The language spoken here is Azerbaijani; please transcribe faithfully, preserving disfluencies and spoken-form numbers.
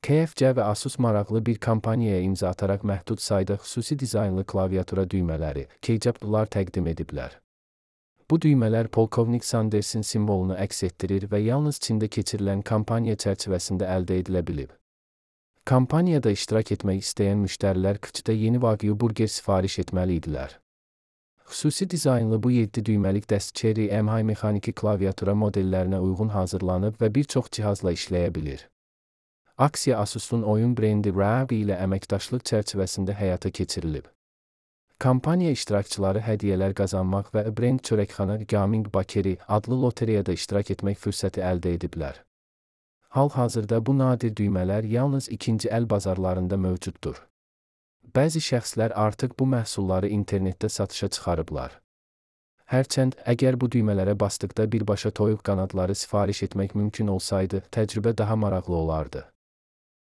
K F C və Asus maraqlı bir kampaniyaya imza ataraq məhdud sayda xüsusi dizaynlı klaviatura düymələri, keycaplar təqdim ediblər. Bu düymələr polkovnik Sandersin simvolunu əks etdirir və yalnız Çində keçirilən kampaniya çərçivəsində əldə edilə bilib. Kampaniyada iştirak etmək istəyən müştərilər K F C-də yeni Wagyu burger sifariş etməli idilər. Xüsusi dizaynlı bu yeddi düyməlik dəst Cherry M H mexaniki klaviatura modellərinə uyğun hazırlanıb və bir çox cihazla işləyə bilir. Aksiya Asus'un oyun brendi R A V ilə əməkdaşlıq çərçivəsində həyata keçirilib. Kampaniya iştirakçıları hədiyyələr qazanmaq və Brend Çörəkxana Gaming Bakeri adlı lotereyada iştirak etmək fürsəti əldə ediblər. Hal-hazırda bu nadir düymələr yalnız ikinci əl bazarlarında mövcuddur. Bəzi şəxslər artıq bu məhsulları internetdə satışa çıxarıblar. Hərçənd, əgər bu düymələrə basdıqda birbaşa toyuq qanadları sifariş etmək mümkün olsaydı, təcrübə daha maraqlı olardı.